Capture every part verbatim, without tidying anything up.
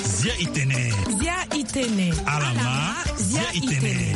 Zia itene. Zia itene. Alama. Zia itene.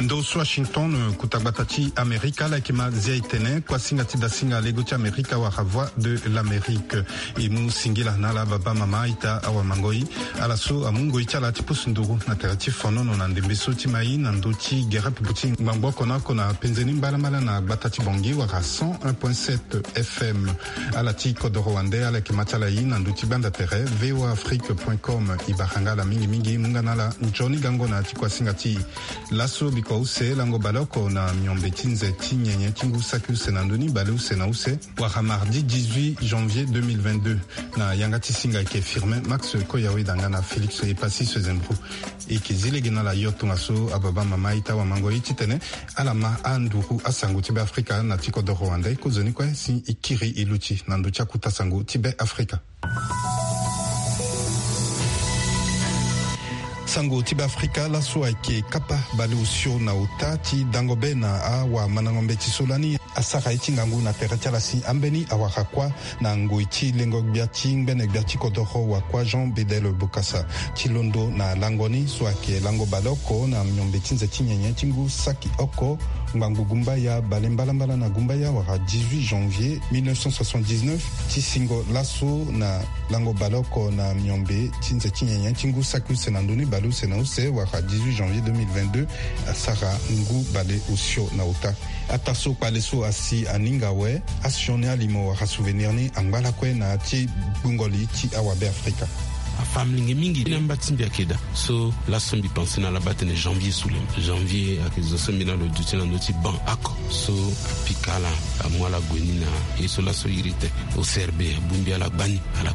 Ndo so Washington, kuta gbata ti Amerika, ala yeke ma zia itene, kuasinga ti dasinga lego ti Amerika wala Voix de l'Amérique. E mu singila na ala baba mama ita awamango-i, ala so amu ngoi ti ala ti pusu nduru na tere ti fonono na ndembe so ti mai na ndö ti gere pupu ti ngbangbo oko na oko na penze ni mbalambala na gbata ti Bangui wala cent un point sept F M. Ala ti kodoro wande ala yeke ma ti ala i na ndö ti gbanda tere V O A Afrique point com. E bara nga ala mingi mingi, mu nga na ala nzoni gango na ya ti kuasinga ti e. Laso bikua use, lango baleoko na miombe ti nze ti nyenye ti ngu saki use na ndö ni baleuse na use, wala mardi dix-huit janvier deux mille vingt-deux. Na yanga ti singa ayeke Firmin Max Koyaweda nga na Félix Epassis Sezembro. E yeke zi lege na ala yo tongaso ababa mama ita wamango-i titene ala ma anduru asango ti Beafrika na ti kodoro wande. Kozoni kue si e kiri e luti na ndö ti akuta sango ti Beafrika. Sango ti Beafrika laso ayeke kapa baleosio na ota ti dango be na awamandango mbeti so lani asara ye ti ngangu na tere ti ala si ambeni awara kuâ na ngoi ti lengo gbia ti ngbene gbia ti kodoro wa kuâ Jean Bedel Bokassa. Ti londo na lango ni so ayeke lango baleoko na miombe ti nze ti nyenye ti ngu saki oko ngbangbo gumbaya bale mbalambala na gumbaya wala dix-huit janvier mille neuf cent soixante-dix-neuf, ti singo laso na lango baleoko na miombe ti nze ti nyenye ti ngu saki use na ndö ni baleuse na use wala dix-huit janvier deux mille vingt-deux, asara ngu baleosio na ota. Ataa so kpale so asi aninga awe, asioni alimo wala souvenir ni angba lakue na ya ti gbungo li ti awabeafrika. Afâ molenge mingi na mba ti mbi ayeke daa. So laso mbi pense na ala baa tene janvier so le. Janvier ayeke zo so mbi na lo duti na ndö ti banc oko. So apika ala, amu ala gue ni na ye so laso iri tene O C R B abongbi ala gbani ala.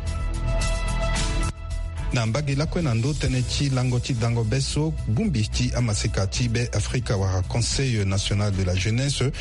Na mbage lakue na ndö tënë ti lango ti dango be so, bongbi ti amaseka ti Beafrika wala Conseil National de la Jeunesse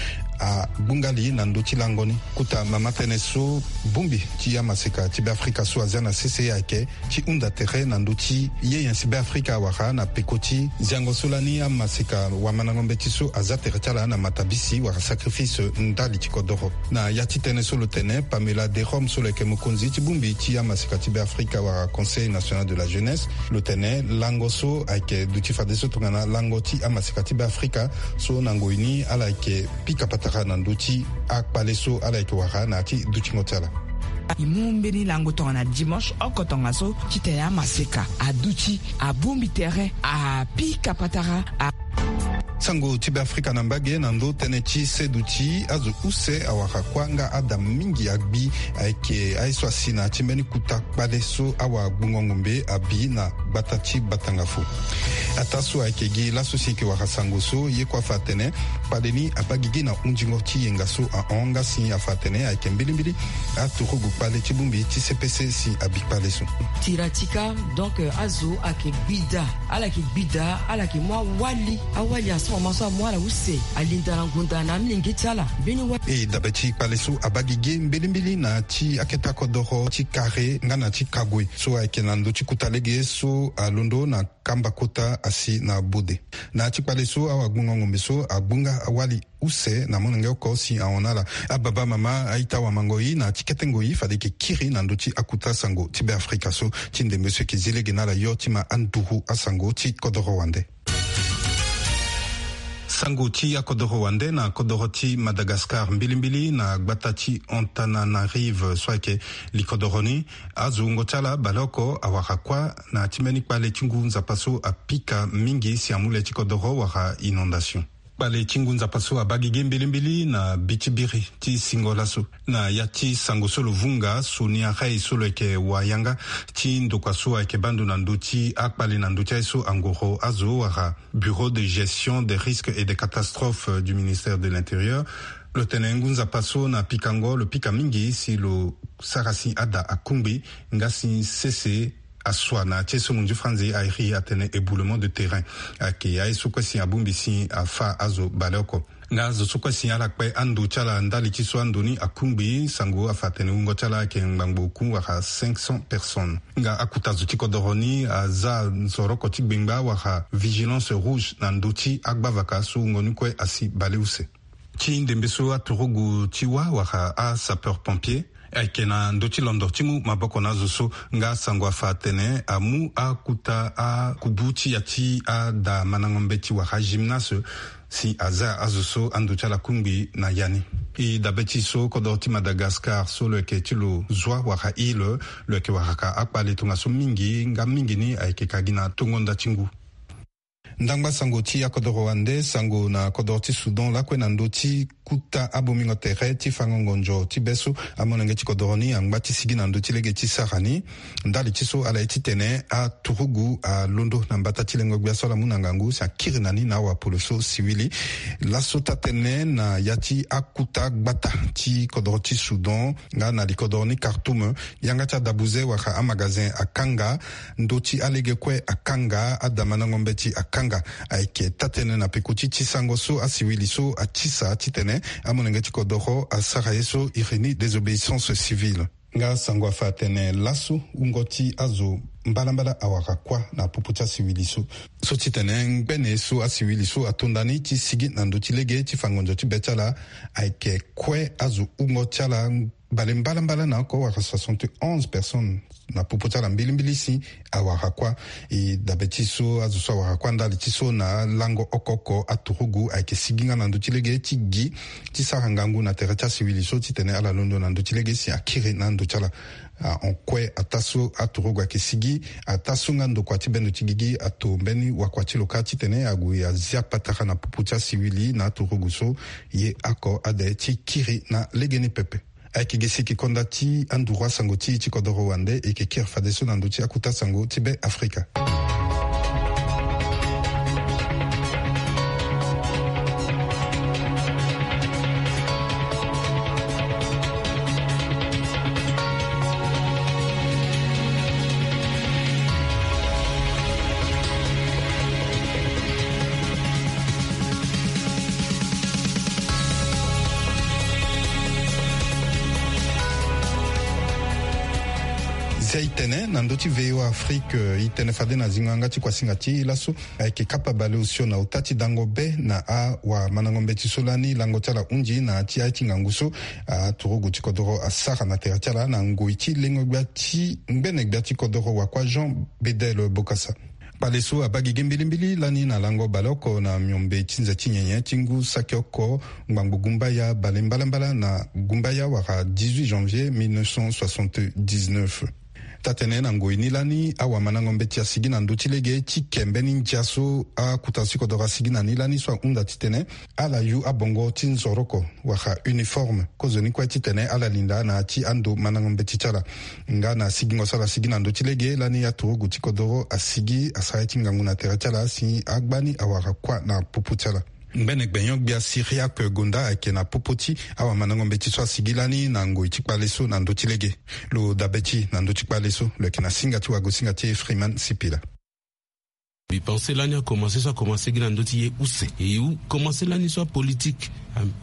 agbunga li na ndö ti lango ni. Kota mama tënë so, bongbi ti amaseka ti Beafrika so azia na sese ayeke ti hunda tere na ndö ti ye nyen si Beafrika awara na peko ti ziango so lani amaseka wamandango mbeti so azia tere ti ala na matabisi wala sacrifice ndali ti kodoro. Na ya ti tënë so lo tene Pamela Derome so lo yeke mokonzi ti bongbi ti amaseka ti Beafrika wala Conseil National de la Jeunesse, lo tene lango so ayeke duti fadeso tongana lango ti amaseka ti Beafrika so na ngoi ni ala yeke pika patara na ndö ti akpale so ala yeke wara na ya ti dutingo ti ala. E mu mbeni lango tongana dimanche oko tongaso titene amaseka aduti, abongbi tere, apika patara, a. Sango ti Beafrika na mbage na ndö tënë ti seduti azo use awara kuâ nga ada mingi agbi ayeke aye so asi na ya ti mbeni kota kpale so awagbungo ngombe abi na gbata ti Batangafo. Ataa so ayeke gi laso si e yeke wara sango so, ye kue afa atene kpale ni abaa gigi na hundingo ti yenga so ahon nga si afa atene ayeke mbilimbili aturugu kpale ti bongbi ti C P C si abi kpale so. Tiratika, donc, euh, azo ayeke gbida, ala yeke gbida, ala yeke mu awali, awali asoro ma so amu ala use, alinda na ngunda na amilenge ti ala. Mbeni wali. E dabe ti kpale so abaa gigi mbilimbili na ya ti akete akodoro ti kare nga na ti kague so ayeke na ndö ti kota lege so alondo na kamba kota asi na bode. Na ya ti kpale so awagbungo ngombe so agbunga awali use na molenge oko si ahon na ala. Ababa mama a-ita wamango-i, na ya ti kete ngoi fade e yeke kiri na ndö ti akota sango ti Beafrika so. Ti ndembe so e yeke zi lege na ala yo ti ma anduru asango ti kodoro wande. Sango ti akodoro wande na kodoro ti Madagascar, mbilimbili na gbata ti Antananarive so ayeke likodoro ni. Azo wungo ti ala baleoko awara kuâ na ya ti mbeni kpale ti ngu nzapa so apika mingi si amu le ti kodoro wala inondation. Kpale ti ngu nzapa so abaa gigi mbilimbili na bi ti biri ti singo laso. Na ya ti sango so lo vunga, Sonia Rey so lo yeke wayanga ti ndokua so ayeke baa ndo na ndö ti akpale na ndö ti aye so angoro azo wala Bureau de gestion des risques et des catastrophes du ministère de l'Intérieur, lo tene ngu nzapa so na pikango lo pika mingi si lo sara si ada akungbi nga si sese asua na ya ti ye so munzu franzi airi atene éboulement de terrain. Ayeke aye so kue si abongbi si afâ azo baleoko. Nga azo so kue si ala kpe ando ti ala ndali ti so ando ni akungbi, sango afa atene wungo ti ala ayeke ngbangbo oku wala cinq cents personnes. Nga akuta zo ti kodoro ni aza nzoroko ti gbengba wala vigilance rouge na ndö ti agbavaka so wungo ni kue asi baleuse. Ti ndembe so aturugu ti wâ wala asapeur pompier ayeke na ndö ti londo ti mu maboko na azo so. Nga sango afa atene amu akuta akubu ti ya ti ada mandango mbeti wala agymnase si aza azo so ando ti ala kungbi na ya ni. E dabe ti so kodoro ti Madagascar so lo yeke ti lo zwa wala île, lo yeke waraka akpale tongaso mingi nga mingi ni ayeke ka gi na tongo nda ti ngu. Ndangba sango ti akodoro wande, sango na kodoro ti Soudan lakue na ndö ti kuta abomingo tere ti fango ngonzo ti be so amolenge ti kodoro ni angba ti sigi na ndö ti lege ti sara ni. Ndali ti so ala ye titene aturugu alondo na mbata ti lengo gbia so ala mu na ngangu si akiri na ni na awapolo so siwili. Laso taa-tënë na ya ti akuta gbata ti kodoro ti Soudan nga na likodoro ni Khartoum, yanga ti adabuze wala amagazin akanga, ndö ti alege kue akanga, adamandango mbeti akanga. Ayeke taa-tënë na peko ti ti sango so asiwili so atisa titene amolenge ti kodoro asara ye so iri ni désobéissance civile. Nga sango afa atene laso wungo ti azo mbalambala awara kuâ na popo ti asiwili so. So titene ngbene so asiwili so ato nda ni ti sigi na ndö ti lege ti fa ngonzo ti be ti ala, ayeke kue azo wungo ti ala bale mbalambala na oko wala soixante et onze personnes na popo ti ala mbilimbili si awara kuâ. E dabe ti so azo so awara kuâ ndali ti so na lango oko oko aturugu ayeke sigi nga na ndö ti lege ti gi ti sara ngangu na tere ti asiwili so titene ala londo na ndö ti lege si akiri na ando ti ala. Ah, en kue ataa so aturugu ayeke sigi, ataa so nga ndokua ti bendo ti gigi ato mbeni wakua ti lo kâ titene ague azia patara na popo ti asiwili na aturugu so. Ye oko ade ti kiri na legeni pepe. Ayeke gi si e yeke konda ti anduru asango ti e ti kodoro wande, e yeke kiri fadeso na ndö ti akuta sango ti Be Afrika. Zia e tene na ndö ti V O A Afrique, e tene fade na zingo yanga ti kuasinga ti e laso. Ayeke kapa baleosio na ota ti dango be na awamandango mbeti so lani lango ti ala hunzi na ya ti aye ti ngangu so aturugu ti kodoro asara na tere ti ala na ngoi ti lengo gbia ti ngbene gbia ti kodoro wakua Jean Bedel Bokassa. Kpale so abaa gigi mbilimbili lani na lango baleoko na miombe ti nze ti nyenye ti ngu saki oko ngbangbo gumbaya bale mbalambala na gumbaya wala dix-huit janvier mille neuf cent soixante-dix-neuf. Taa-tënë na ngoi ni lani awamandango mbeti asigi na ndö ti lege ti ke mbeni ndia so akuta ti kodoro asigi na ni lani so ahunda titene ala yu abongo ti nzoroko wala uniforme kozoni kue titene ala linda na ya ti ando mandango mbeti ti ala. Nga na sigingo so ala sigi na ndö ti lege lani aturugu ti kodoro asigi asara ye ti ngangu na tere ti ala si agbani awara kuâ na popo ti ala. Ngbene gbenyo-gbia Cyriaque Gonda ayeke na popo ti awamandango mbeti so asigi lani na ngoi ti kpale so na ndö ti lege. Lo dabe ti e na ndö ti kpale so lo yeke na singa ti wagosinga ti e Freeman Sipila. Mbi pense lani akomanse so akomanse gi na ndö ti ye use e hu komanse lani so apolitike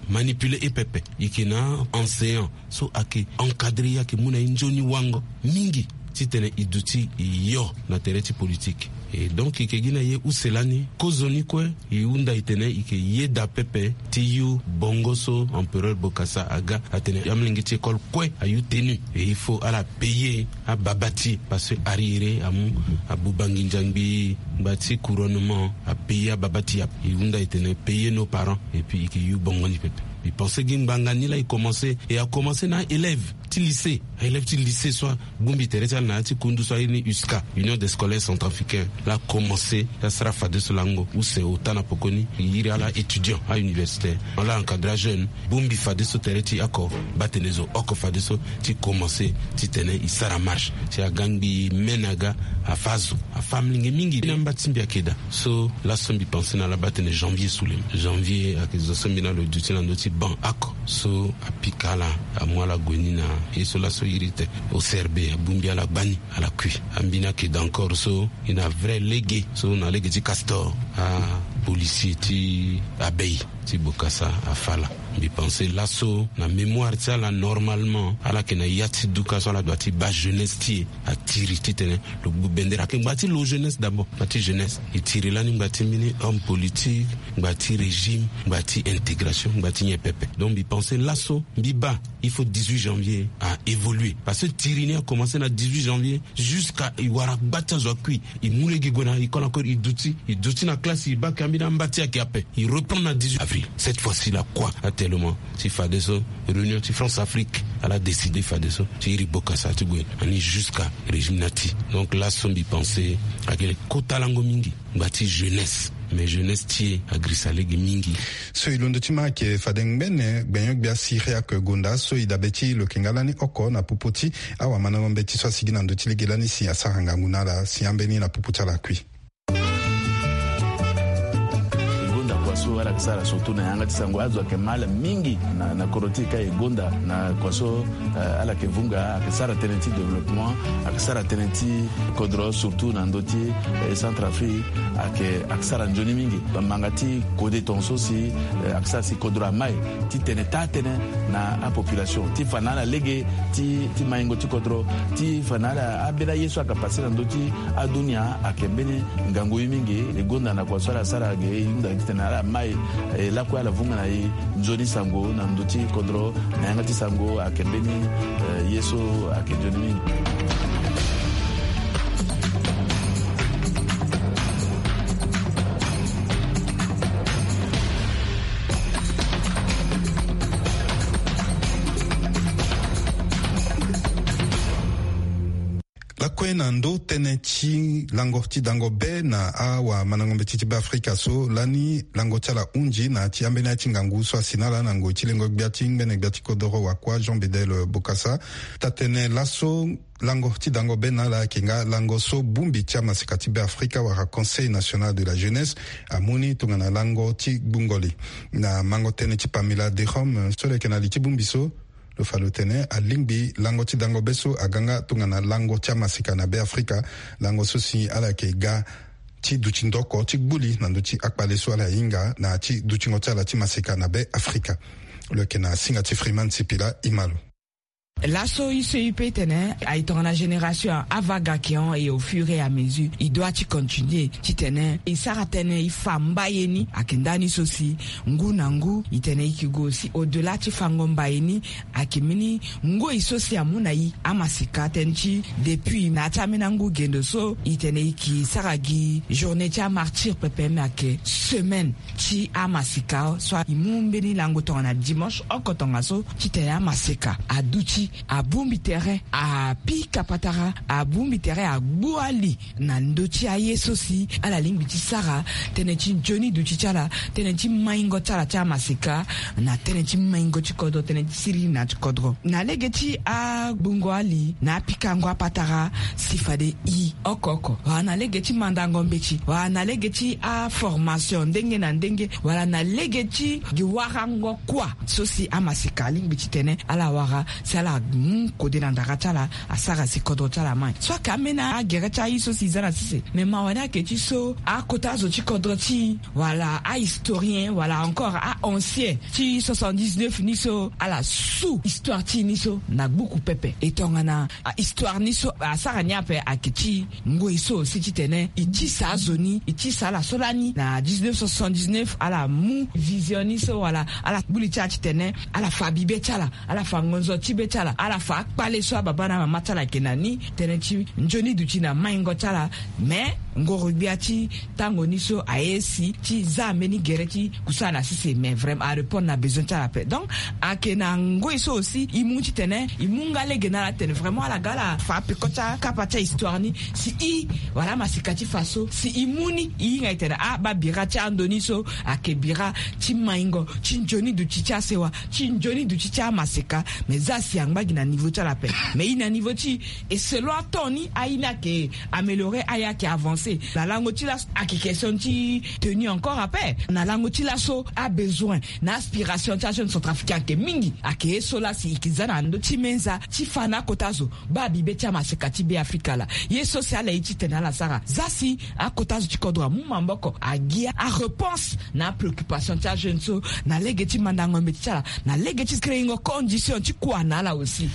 amanipule e pepe. E yeke na enseignant so ayeke encadre e ayeke mu na e nzoni wango mingi titene e duti e yo na tere ti politike. E donc e yeke gi na ye use lani kozoni kue e hunda e tene e yeke yeda pepe ti yu bongo so empereur Bokassa aga atene amolenge ti école kue ayu tenue. E il faut ala payer ababa ti e parce que arriéré amu abuba nginza ngbii ngba ti couronnement apayer ababa ti e ape. E hunda e tene payer nos parents et puis e yeke yu bongo ni pepe. Mbi pense gi ngbanga ni laa e komanse e akomanse na aélève ti lycée aélève ti lycée so abongbi tere ti ala na ya ti kundu so airi ni USCA, Union des Scolaires Centrafricains. Laa akomanse ti asara fadeso lango use ota na pokoni e iri ala étudiant auniversitaire ala encadre ajeune bongbi fadeso tere ti oko baa tene zo oko fadeso ti komanse titene e sara marche si aga ngbii me na aga afa azo afa amolenge mingi na mba ti mbi ayeke daa. So laso mbi pense na ala baa tene janvier sulem janvier ayeke zo so mbi na lo duti na ndö ti banc oko so apika ala amu ala gue ni na ye so laso iri te. O C R B abongbi ala gbani ala kui. Ambi ni ayeke daa encore so e na vrai lege so na lege ti Castor apolicier ti abei ti Bokassa afa ala. Mbi pense laso na mémoire ti ala normalement ala yeke na ya ti duka so ala doit ti baa jeunesse ti e. Atiri titene lo gbu bendere ayeke ngba ti lo jeunesse d'abord ngba ti jeunesse. E tiri lani ngba ti mbeni homme politique, ngba ti régime, ngba ti intégration, ngba ti nyen pepe. Donc mbi pense laso mbi baa il faut dix-huit janvier a évoluer parce que tiri ni a commencer na dix-huit janvier jusqu'à e wara gba ti azo akui. E mu lege gue na école encore e duti e duti na classe e baa ke ambeni amba ti e ayeke ape. E reprendre na dix-huit avril. Cette fois-ci la kua atelement ti fadeso réunion ti France Afrique ala décider fadeso ti iri bokasa ti gue ani jusqu'à régime na ti. Donc laso mbi pense ayeke kota lango mingi ngba ti jeunesse. Mais jeunesse ti e agrisa lege mingi. So e londo ti ma ayeke fade ngbene gbenyo-gbia Syriaque Gonda so e dabe ti lo yeke nga lani oko na popo ti awamandango mbeti so asigi na ndö ti lege lani si asara ngangu na ala si ambeni na popo ti ala akui. E gonda kua so ala yeke sara surtout na yanga ti sango azo ayeke ma ala mingi na na kodro ti e ka e gonda na kua so. Ala yeke vunga ayeke sara tënë ti développement ayeke sara tënë ti kodro surtout na ndö ti centre afrique. Ayeke ayeke sara nzoni mingi. Manga ti kode tongaso si ayeke sara si kodro amai titene taa tënë na apopulation ti fa na ala lege ti maingo ti kodro ti fa na ala ambeni aye so ayeke pase na ndö ti adunia ayeke mbeni ngangu ye mingi. E gonda na kua so ala sara ge e hunda titene ala mai e lakue ala vunga na e nzoni sango na ndö ti kodro na yanga ti sango ayeke mbeni ye so ayeke nzoni mingi. Lakue na ndo tënë ti lango ti dango be na awamandango mbeti ti beafrika so lani lango ti ala hunzi na ti ambeni ya ti ngangu so asi na ala na ngoi ti lengo gbia ti ngbene gbia ti kodoro wakua Jean Bedel Bokassa. Taa-tënë laso lango ti dango be na ala ayeke nga lango so bongbi ti amaseka ti beafrika wala Conseil national de la jeunesse amu ni tongana lango ti gbungo li. Na mango tënë ti Pamela Derome so lo yeke na li ti bongbi so, lo fa lo tene alingbi lango ti dango be so aga nga tongana lango ti amaseka na beafrika. Lango so si ala yeke ga ti duti ndo oko ti gbu li na ndö ti akpale so ala hinga na ya ti dutingo ti ala ti maseka na beafrika. Lo yeke na singa ti Freeman Sipila. E ma lo. Laso e so e pe tene aye tongana génération ava ga ayeke hon et au fur et à mesure e doit ti continuer titene e sara tënë e fa mbaye ni ayeke ndani so si ngu na ngu e tene e yeke gue aussi au delà ti fango mbaye ni. Ayeke mbeni ngoi so si amu na e amaseka tënë ti depuis na ya ti ambeni angu gendo so e tene e yeke sara gi journée ti amartyre pepe me ayeke semaine ti amaseka so e mu mbeni lango tongana dimanche oko tongaso titene amaseka aduti abongbi tere apika patara abongbi tere agbu ali na ndö ti aye so si ala lingbi ti sara tënë ti nzoni duti ti ala tënë ti maingo ti ala ti amaseka na tënë ti maingo ti kodro tënë ti siriri na ti kodro na lege ti agbungo ali na apikango apatara si fade e oko oko wala na lege ti mandango mbeti wala na lege ti aformation ndenge na ndenge wala na lege ti gi warango kua so si amaseka alingbi titene ala wara si ala mu kode na ndara ti ala asara si kodro ti ala mai so ayeke ambeni agere ti aye so si e za na sese me mawa ni ayeke ti so akota azo ti kodro ti e wala ahistorien wala encore a-ancien ti soixante-dix-neuf ni so ala su histoire ti e ni so na gbuku pepe e tongana ahistoire ni so asara ni ape ayeke ti ngoi so aussi titene e tisa azo ni e tisa ala so lani na dix-neuf cent soixante-dix-neuf ala mu vision ni so wala ala gbu li ti ala titene ala fa bibe ti ala ala fa ngonzo ti be ti ala ala fa akpale so ababa na amama ti ala ayeke na ni tënë ti nzoni duti na maingo ti ala. Mais ngoro-gbia ti tango ni so aye si ti za mbeni gere ti kusana na sese mais vraiment arépondre na besoin ti ala ape donc ayeke na ngoi so aussi e mu titene e mu nga lege na ala tene vraiment ala ga ala fa apeko ti akapa ti ahistoire ni si e wala amaseka ti fa so si e mu ni e hinga e tene ah baa bira ti ando ni so ayeke bira ti maingo ti nzoni duti ti asewa ti nzoni duti ti amaseka. Mais za si angba Gi na niveau ti ala ape. Mais i na niveau ti e selon atemps ni aye ni ayeke améliorer, aye ayeke avancer. Na lango ti laso ayeke question ti tenue encore ape. Na lango ti laso abesoin na aspiration ti ajeune centrafricain ayeke mingi. Ayeke ye so lasi e yeke za na ndö ti menza ti fa na akota zo baa bibe ti amaseka ti Beafrika laa. Ye so si ala ye titene ala sara za si akota zo ti kodro amu maboko, agi aréponse na apréoccupation ti ajeune so, na lege ti mandango mbeti ti ala, na lege ti créer-ngo condition ti kua na ala aussi.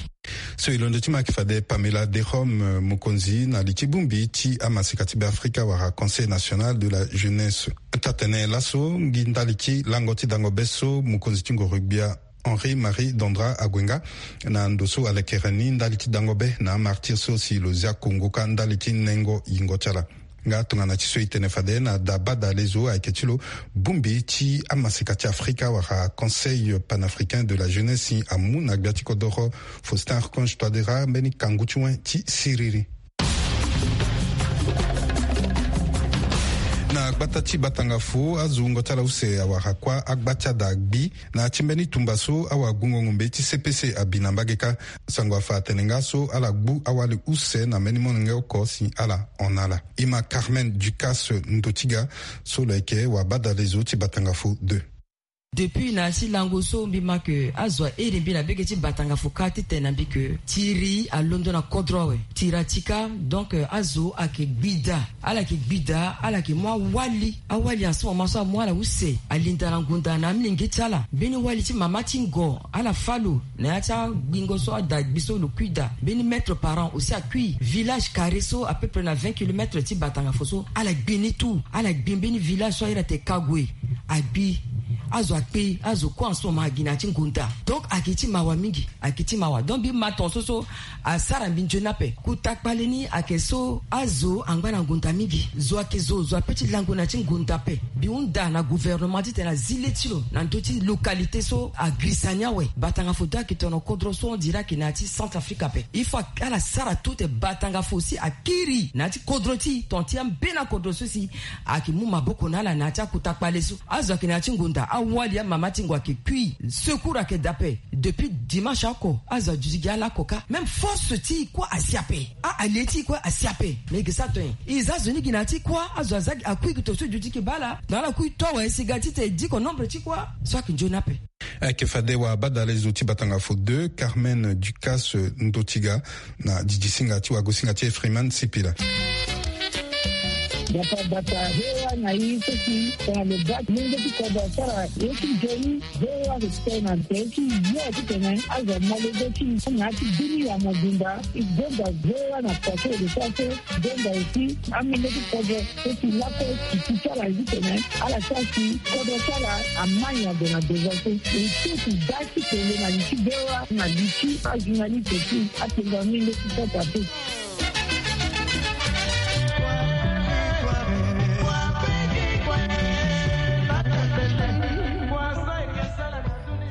So e londo ti ma ayeke fade Pamela Derome, mokonzi na li ti bongbi ti amaseka ti Beafrika wala Conseil national de la jeunesse. Taa-tënë laso, ngi ndali ti lango ti dango be so mokonzi ti ngoro-gbia Henri Marie Dondra ague nga na ndo so alekere ni ndali ti dango be na amartyr so si lo zia kongo kâ ndali ti nengo yingo ti ala. Nga tongana ti so e tene fade na da badale zo ayeke ti lo, bongbi ti amaseka ti Afrika wala Conseil panafricain de la jeunesse si amu na gbia ti kodoro Faustin Archange Touadéra mbeni kangu ti wen ti siriri. Na gbata ti Batangafo, azo wungo ti ala use awara kuâ agba ti ada agbi na ya ti mbeni tumba so awagungo ngombe ti C P C abi na mbage kâ. Sango afa atene nga so ala gbu awali use na mbeni molenge oko si ala hon na ala. E ma Carmen Ducasse Ndotiga so lo yeke wabadale zo ti Batangafo deux. Depuis na ya ti lango so mbi ma ke azo airi mbi na bege ti Batangafo kâ titene na mbi ke tiri alondo na kodro awe. Tiri ati kâ, donc, euh, azo ayeke gbi daa. Ala yeke gbi daa, ala yeke mu awali. Awali en ce moment so amu ala use, alinda na ngonda na amilenge ti ala. Mbeni wali ti mama ti ngo, ala fâ lo na ya ti agbingo so ada gbi so lo kui daa. Mbeni mètre par an aussi akui. Village carré so à peu près na vingt kilomètres ti Batangafo so, ala gbi ni tout. Ala gbi mbeni village so ahiri atene Kague. Agbi. Azo akpe, azo kue en ce moment agi na ya ti ngonda. Donc ayeke ti mawa mingi, ayeke ti mawa. Donc mbi ma tongaso so asara mbi nzoni ape. Kota kpale ni ayeke so azo angba na ngonda mingi. Zo ayeke zo, zo apeut ti lango na ya ti ngonda ape. Mbi hunda na gouvernement titene azi le ti lo na ndö ti localité so agirisa ni awe. Batangafo deux ayeke tono kodro so on dirait ayeke na ya ti Centrafrique ape. Il faut ala sara tout te Batangafo si akiri na ya ti kodro ti e, ton ti ambeni akodro so si ayeke mu maboko na ala na ya ti akota kpale so. Azo ayeke na ya ti ngonda, awali amama ti ngo ayeke kui. Secours ayeke daa ape. Depuis dimanche oko azo aduti gi ala oko kâ. Même force ti e kue asi ape. A-allié ti e kue asi ape. Mais e ke sara tongana nyen? E za zo ni gi na ya ti kuâ, azo aza gi, akui gi to so e duti gi baa ala. Donc ala kui to awe si ga titene e diko nombre ti kuâ. So ayeke nzoni ape. Ayeke fade wabadale zo ti Batangafo deux, Carmen Ducasse Ndotiga, na didisinga ti wagosinga ti e Freeman Sipila. Bata bata V O A na e so si tongana lo baa lenge ti kodro asara ye ti nzoni, V O A respect na nze ti yo titene azo amolenge ti na ya ti bini ya mobimba. E gonda V O A na kua so e lo sara so, gonda aussi amolenge ti kodro so si lakue e ti ti ala titene ala sara si kodro ti ala ama nyango na devant so. E so ti da ti tene na li ti V O A na li ti ajournaliste ti atenga ni le ti sota te.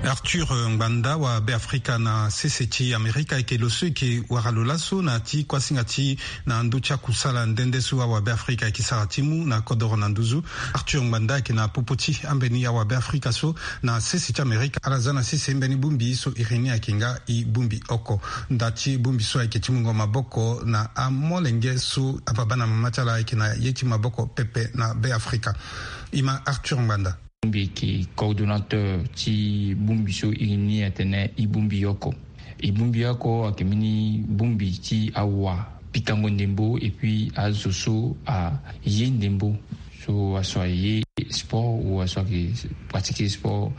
Arthur Ngbanda wa Beafrika na sese ti Amerika ayeke lo so e yeke wara lo laso na ya ti kuasinga ti na ndö ti akusala nde nde so awa Beafrika ayeke sara ti mu na kodoro na nduzu. Arthur Ngbanda ayeke na popo ti ambeni awa Beafrika so na sese ti Amerika. Ala za na sese mbeni bongbi so iri ni ayeke nga e bongbi oko. Nda ti bongbi so ayeke ti mungo maboko na amolenge so ababa na mama ti ala ayeke na ye ti maboko pepe na Beafrika. E ma Arthur Ngbanda. Mbi yeke coordonnateur ti bongbi so iri ni atene e bongbi oko. E bongbi oko ayeke mbeni bongbi ti awa pikango ndembo et puis azo so aye ndembo, so aso aye sport ou aso ayeke pratiquer sport.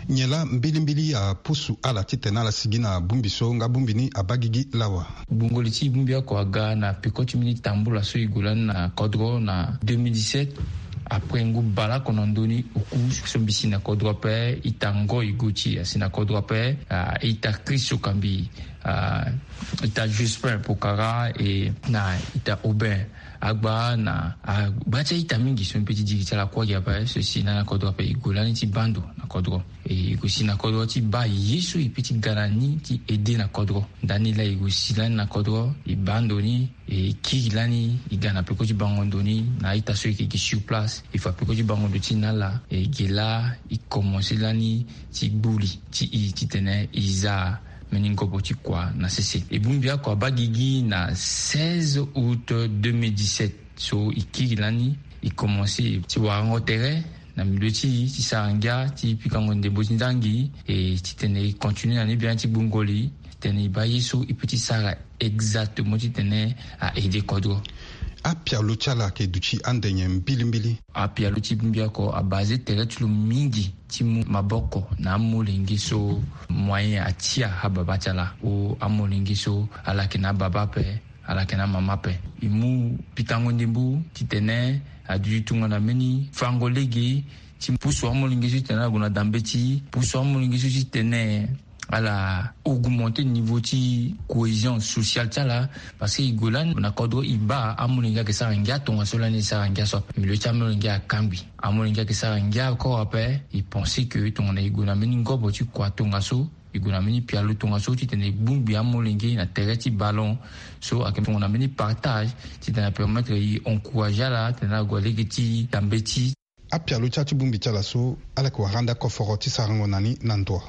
Nyen laa mbilimbili apusu ala titene ala sigi na bongbi so nga bongbi ni abaa gigi lawa? Gbungo li ti bongbi oko aga na peko ti mbeni tambula so e gue lani na kodro na deux mille dix-sept. Après ngu baleoko na ndö ni oku so mbi si na kodro ape, ita Ngoy Gauthier asi na kodro ape, ah, ita Chris Okambi, ah, ita Jospin Pokara, e na ita Aubin Agba na agba ti a-ita mingi so mbi pe ti diri ti ala kuâ gi ape so e si lani na kodro ape. E gue lani ti baa ndo na kodro. E gue si na kodro ti baa ye so e pe ti ga na ni ti aide na kodro. Ndani laa e gue si lani na kodro, e baa ndo ni, e kiri lani, e ga na peko ti bango ndo ni na a-ita so e yeke gi sur place. E fa peko ti bango ndo ti e na ala, e ge laa e komanse lani ti gbu li ti e titene e za Mbeni ngobo ti kua na sese. E bongbi oko abaa gigi na seize août deux mille dix-sept. So e kiri lani, e commencé ti warango tere na milieu ti e ti sara ngia ti pikango ndembo ti nzangi, e titene e continué na ni biani ti gbungo li titene e baa ye so e peut ti sara exactement titene a aidé kodro. Apialo ti ala ayeke duti ande nyen mbilimbili? Apialo ti bongbi oko abasé tere ti lo mingi ti mu maboko na amolenge so moyen atia ababa ti ala, o amolenge so ala yeke na ababa ape, ala yeke na amama ape. E mu pikango ndembo titene aduti tongana mbeni fango lege ti pusu amolenge so titene ala gue na dambe ti pusu amolenge so titene ala augmenté niveau ti cohésion sociale ti ala. Parce que e gue lani na kodro e baa amolenge ayeke sara ngia tongaso lani e sara ngia so ape. Milieu ti amolenge akangbi. Amolenge ayeke sara ngia encore ape. E pensé que tongana e gue na mbeni ngobo ti kua tongaso, e gue na mbeni pialo tongaso titene e bongbi amolenge na tere ti ballon. So ayeke tongana mbeni partage titene apermettre e encouragé ala titene ala gue lege ti dambe ti. Apialo ti ala ti bongbi ti ala so ala yeke wara ande akoforo ti sarango na ni na ndo.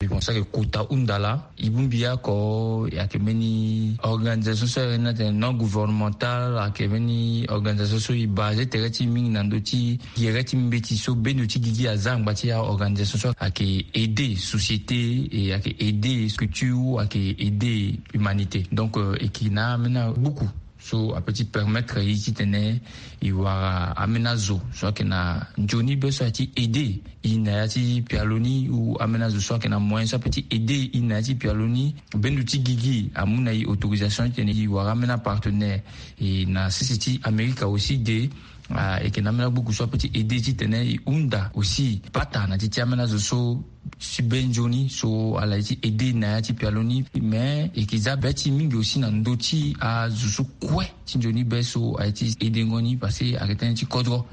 Bon, so ayeke kota hunda laa. E bongbi oko ayeke mbeni organisation so ayeke na tene non gouvernemental, ayeke mbeni organisation so e basé tere ti e mingi na ndö ti gere ti mbeti so bendo ti gigi aza angba ti aorganisation so ayeke aidé société et ayeke aidé structure ou ayeke aidé humanité. Donc euh, e yeke na ambeni agbuku so apeut ti permettre e titene e wara ambeni azo so ayeke na nzoni be so aye ti aidé e na ya ti pialo ni ou ambeni azo so ayeke na moyen so apeut ti aidé e na ya ti pialo ni. Bendo ti gigi amu na e autorisation titene e wara ambeni apartenaire. E na sese ti Amerika aussi de, ah, e yeke na ambeni agbuku so apeut ti aidé titene e hunda aussi pata na ti ti ambeni azo so si be nzoni so ala ye ti aidé na ya ti pialo ni. Mais e yeke za be ti e mingi aussi na ndö ti azo so kue ti nzoni be so aye ti aidengo ni parce que ayeke tënë ti kodro.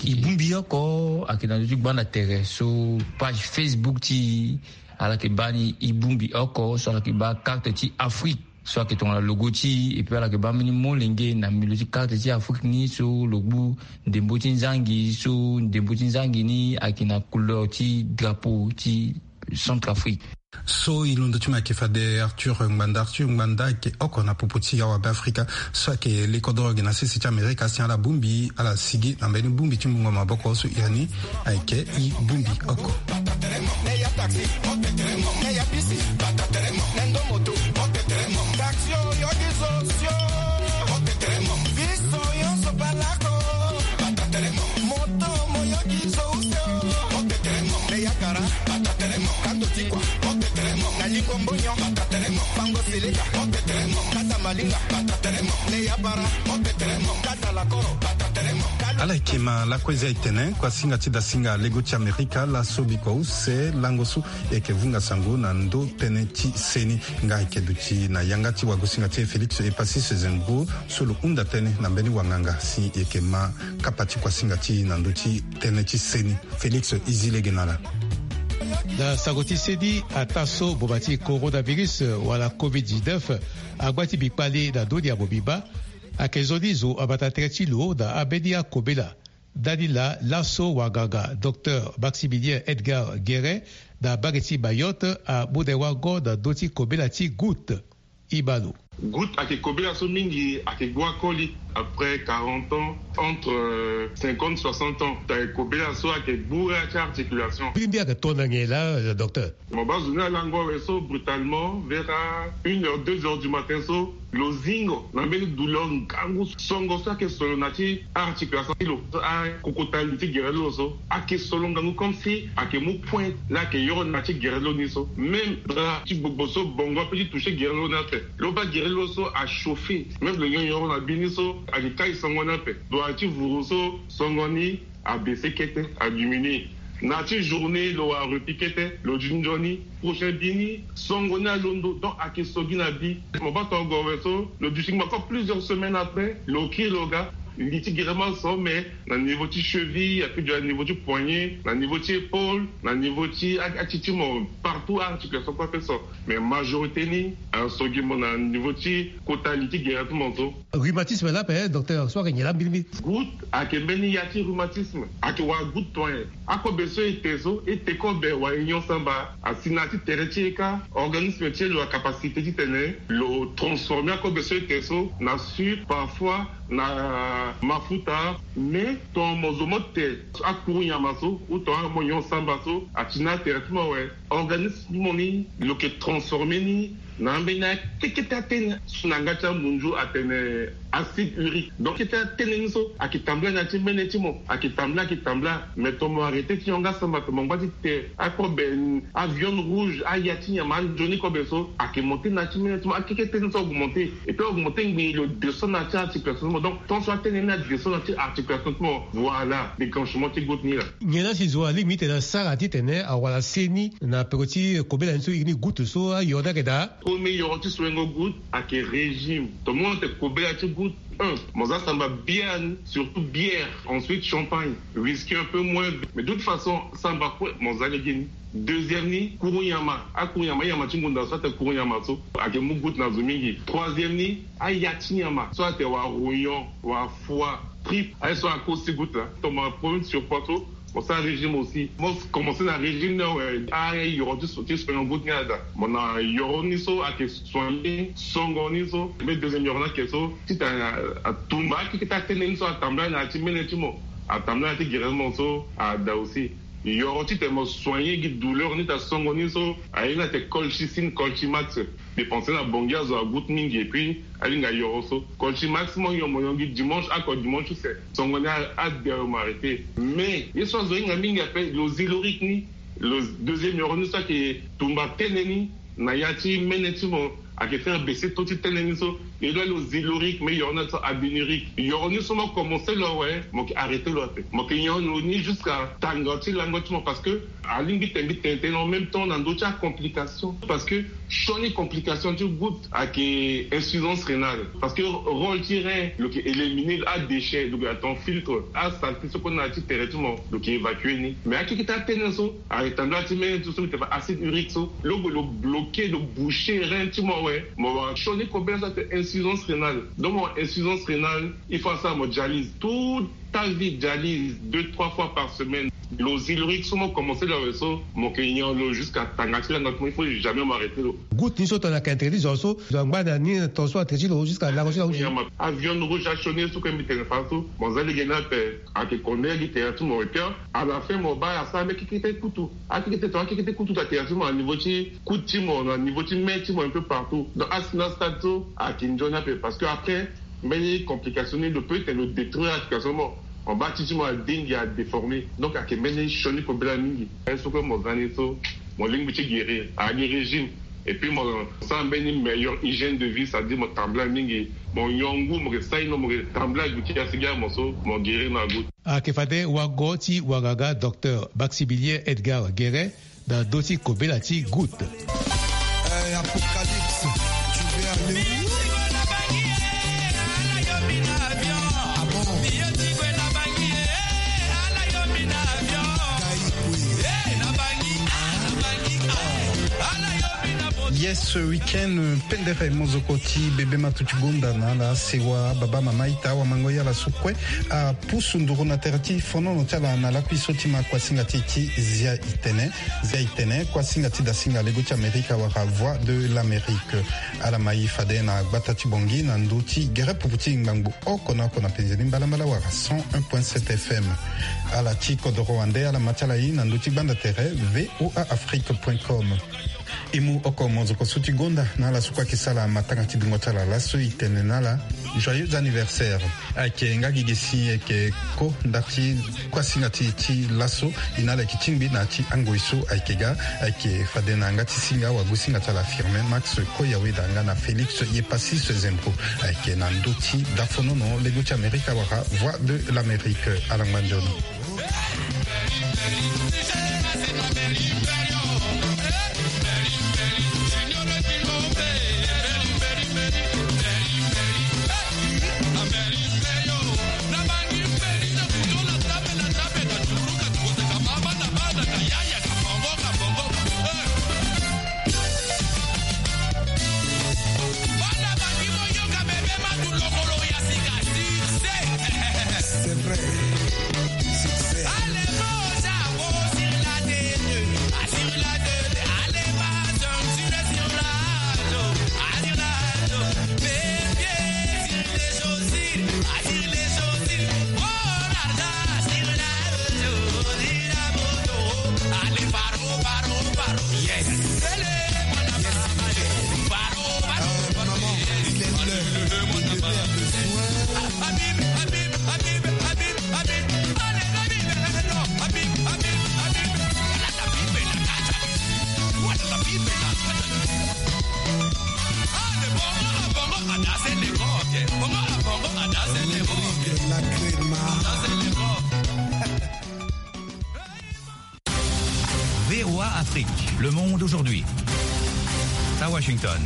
E bongbi oko ayeke na ndö ti gbanda tere so page Facebook ti e ala yeke baa ni e bongbi oko so ala yeke baa carte ti Afrique so ayeke tongana logo ti e. Et puis ala yeke baa mbeni molenge na milieu ti carte ti Afrique ni so lo gbu ndembo ti nzangi so ndembo ti nzangi ni ayeke na couleur ti drapeau ti Centrafrique. So e londo ti mo ayeke fade Arthur Ngbanda. Arthur Ngbanda ayeke oko na popo ti awabe Afrika so ayeke le kodoro ge na sese ti Amerika si ala bongbi ala sigi na mbeni bongbi ti mungo maboko so iri ni ayeke e bongbi oko. Ala yeke ma lakue eza etene kuasinga ti dasinga lego ti Amerika laso bikua use lango so e yeke vunga sango na ndö tënë ti seni. Nga e yeke duti na yanga ti wagosinga ti e Félix Epasis Zengbo so lo hunda tënë na mbeni wanganga si e yeke ma kapa ti kuasinga ti e na ndö ti tënë ti seni. Félix, e zi lege na ala. Na sango ti seni, ataa so boma ti coronavirus wala covid dix-neuf angba ti mbi kpale na ndö ni ya mobimba, ayeke nzoni zo abata tere ti lo na ambeni akobela. Ndani laa laso wanganga docteur Maximilien Edgar Guérin na mbage ti Mayotte amu na e wango na ndö ti kobela ti goutte. Ibalo. Goutte ayeke kobela so mingi ayeke gbu akoli après quarante ans, entre euh, cinquante, soixante ans. Ayeke kobela so ayeke gbu ya ti articulation. Mbi mbi ayeke tondani laa, docteur. Mo baa zo ni alango awe so brutalement vers une heure, deux heures du matin so lo zingo na mbeni douleur ngangu songo so ayeke solo na ti articulation ti lo, akokota li ti gere ti lo so ayeke solo ngangu comme si ayeke mu point la ayeke yoro na ti gere ti lo ni so. Même drap ti gbogbo so bongo apeut ti toucher gere ti lo ni ape. Lo baa gere ti lo so achauffer. Même lo nyongo yoro na bi ni so ayeke kai songo ni ape. Doit ti vuru so songo ni abaisser kete, adiminuer. Na ti journée lo wara repli kete, lo duti nzoni. Prochain bi ni songo ni alondo, donc ayeke so gi na bi. Mo baa tongo awe so lo duti ngbako plusieurs semaines après, lo kiri lo ga. Li ti gere mo aso, mais na niveau ti cheville, ape dio na niveau ti poignet, na niveau ti épaule, na niveau ti a- ati ti mo, partout articulation kue ape so. Mais majorité ni aso gi mo na niveau ti kota li ti gere ti mo so. Rhumatisme la ape, docteur, so ayeke nyen la mbilimbili? Goutte ayeke mbeni ya ti rhumatisme, ayeke wara goutte toi. Akobe so e te so, e te kobe wala e nyon samba, asi na ya ti tere ti e kâ, organisme ti e lo na capacité titene lo transformer akobe so e te so na sucre, parfois na mafuta. Mais tongana mo zo mo te akuru nyama so ou tongana mo nyon samba so, ati na atere ti mo awe, organisme ti mo ni lo yeke transformer ni na ambeni akekete atene so na yanga ti amunzu atene acide urique. Donc kete atene ni so ayeke tambula na ya ti mene ti mo, ayeke tambula, ayeke tambula. Mais tongana mo arrêter ti nyon nga samba, tongana mo ngba ti te akobe, aviande rouge, aya ti nyama anzoni kobe so ayeke monter na ya ti mene ti mo, akekete ni so augmenter. Et puis augmenter ngbii, lo descend na ya ti articulation ti mo. Donc tant so atene ni adescend na ya ti articulation ti mo, voilà déclenchement ti goutte ni la. Nyen la si zo alingbi ti tene asara titene awara se ni na peko ti kobela ni so, e ni goutte so ayoro ni ayeke daa? Premier yoro ti soingo goutte ayeke régime. Tongana mo tene kobela ti goutte, un, mo za samba bière, surtout bière, ensuite champagne, whisky un peu moins. Mais de toute façon samba kue mo za lege ni. Deuxième ni, kuru nyama. Akuru nyama, anyama ti ngunda so atene kuru nyama so ayeke mu goutte na zo mingi. Troisième ni, aya ti nyama so atene wara rognon, wara foie, tripe, aye so ako aussi goutte la. Tongana mo na problème ti surpoids so, mo sara régime aussi. Mo commencer na régime ni awe, ayoro ti so, ti soigner goutte ni ada. Mo na yoro ni so ayeke soigner songo ni so. Mais deuxième yoro ni ayeke so titene atumba akekete atene ni so atambula na ya ti mene ti mo, atambula na ya ti gere ti mo so ada aussi. Yoro titene mo soigner gi douleur ni ta songo ni so, aye ni atene colchicine, colchimax. Dépenser na Bangui azo agoutte mingi, et puis alingbi ayoro so. Colchimax mo nyon, mo nyon gi dimanche, ako dimanche use, songo ni a- ade awe mo arrêter. Mais ye so azo hinga mingi ape, lo Zyloric ni, lo deuxième yoro ni so ayeke tumba tene ni na ya ti mene ti mo, ayeke faire baisser taux ti tene ni so. E lo, lo Zyloric, mais yoro ni so Abinuric. Yoro ni so mo commencer lo awe, mo yeke arrêter lo ape. Mo yeke nyon lo ni jusqu'à tanga ti lango ti mo, parce que alingbi tene mbi tene tënë en même temps na ndö ti acomplication. Parce que sioni complication ti goutte ayeke insuffisance rénale. Parce que rôle ti rein lo yeke éliminer adéchet, lo yeke atene filtre asaleté so kue na ya ti tere ti mo, lo yeke évacuer ni. Mais akekete atene so ayeke tambula ti mene ti so, lo yeke fa acide urique so, lo gue lo bloquer, lo boucher rein ti mo awe, mo wara sioni kobela so atene insuffisance rénale. Donc mo wara insuffisance rénale, il faut asara mo dialyse tout ta vie, dialyse deux trois fois par semaine. Lo Zyloric so mo commencer lo awe so, mo yeke nyon lo jusqu'à tanga ti lango ti mo, il faut jamais mo arrêter lo. Goutte ni so tongana ayeke interdit zo so, zo angba na ni, ton so atene ti lo jusqu'à lango ti lango ti. Aviande rouge asioni so kue mbi tene fa so, mo za lege ni ape, ayeke kondele gi tere ti mo, et puis à la fin mo baa asara mbi akekete kutu. Akekete, tongana akekete kutu ta tere ti mo na niveau ti coude ti mo, na niveau ti main ti mo, un peu partout. Donc asi na stade so ayeke nzoni ape, parce que après mbeni complication ni lo peut tene lo détruire articulation mo, mo baa ti ti mo adingi, adéformer. Donc ayeke mbeni sioni kobela mingi. Aye so kue mo za ni so, mo lingbi ti guérir, agi régime. Et puis mo sara mbeni meilleure hygiène de vie, c'est-à-dire mo tambula mingi, mo nyon ngu, mo yeke saino, mo yeke tambula goutte ti asi gi amo so, mo guérir na goutte. Ayeke fade wago ti wagaga docteur Maxibilien Edgar Guérin na ndö ti kobela ti goutte. Eh, Apocalypse, tu veux aller où? Ah bon? Yes, ce week-end, pendere mozoko ti bebe matu ti gonda na ala sewa baba mama ita awamango ye ala so kue apusu nduru na tere ti fonono ti ala na lakui so ti ma kuasinga ti e ti Zia Itene. Zia Itene, kuasinga ti dasinga lego ti Amerika wala Voix de l'Amérique. Ala ma e fade na gbata ti Bangui na ndö ti gere pupu ti ngbangbo oko na oko na penze ni mbalambala wala cent un point sept F M. Ala ti kodoro wande ala ma ti ala e na ndö ti gbanda tere V O A Afrique point com. E mu oko mozoko so ti gonda na ala so kue ayeke sara matanga ti dungo ti ala laso e tene na ala joyeux anniversaire. Ayeke nga gi ge si e yeke ko nda ti kuasinga ti e ti laso. E na ala yeke tingbi na ya ti angoi so ayeke ga. Ayeke fade na yanga ti singa wagosinga ti ala Firmin Max Koyaweda nga na Félix Yepasis Zempo. Ayeke na ndö ti dafonono lego ti Amerika wala Voix de l'Amérique. Ala ngba nzoni. Rodrigue Lacrema. V O A Afrique, le monde aujourd'hui. À Washington.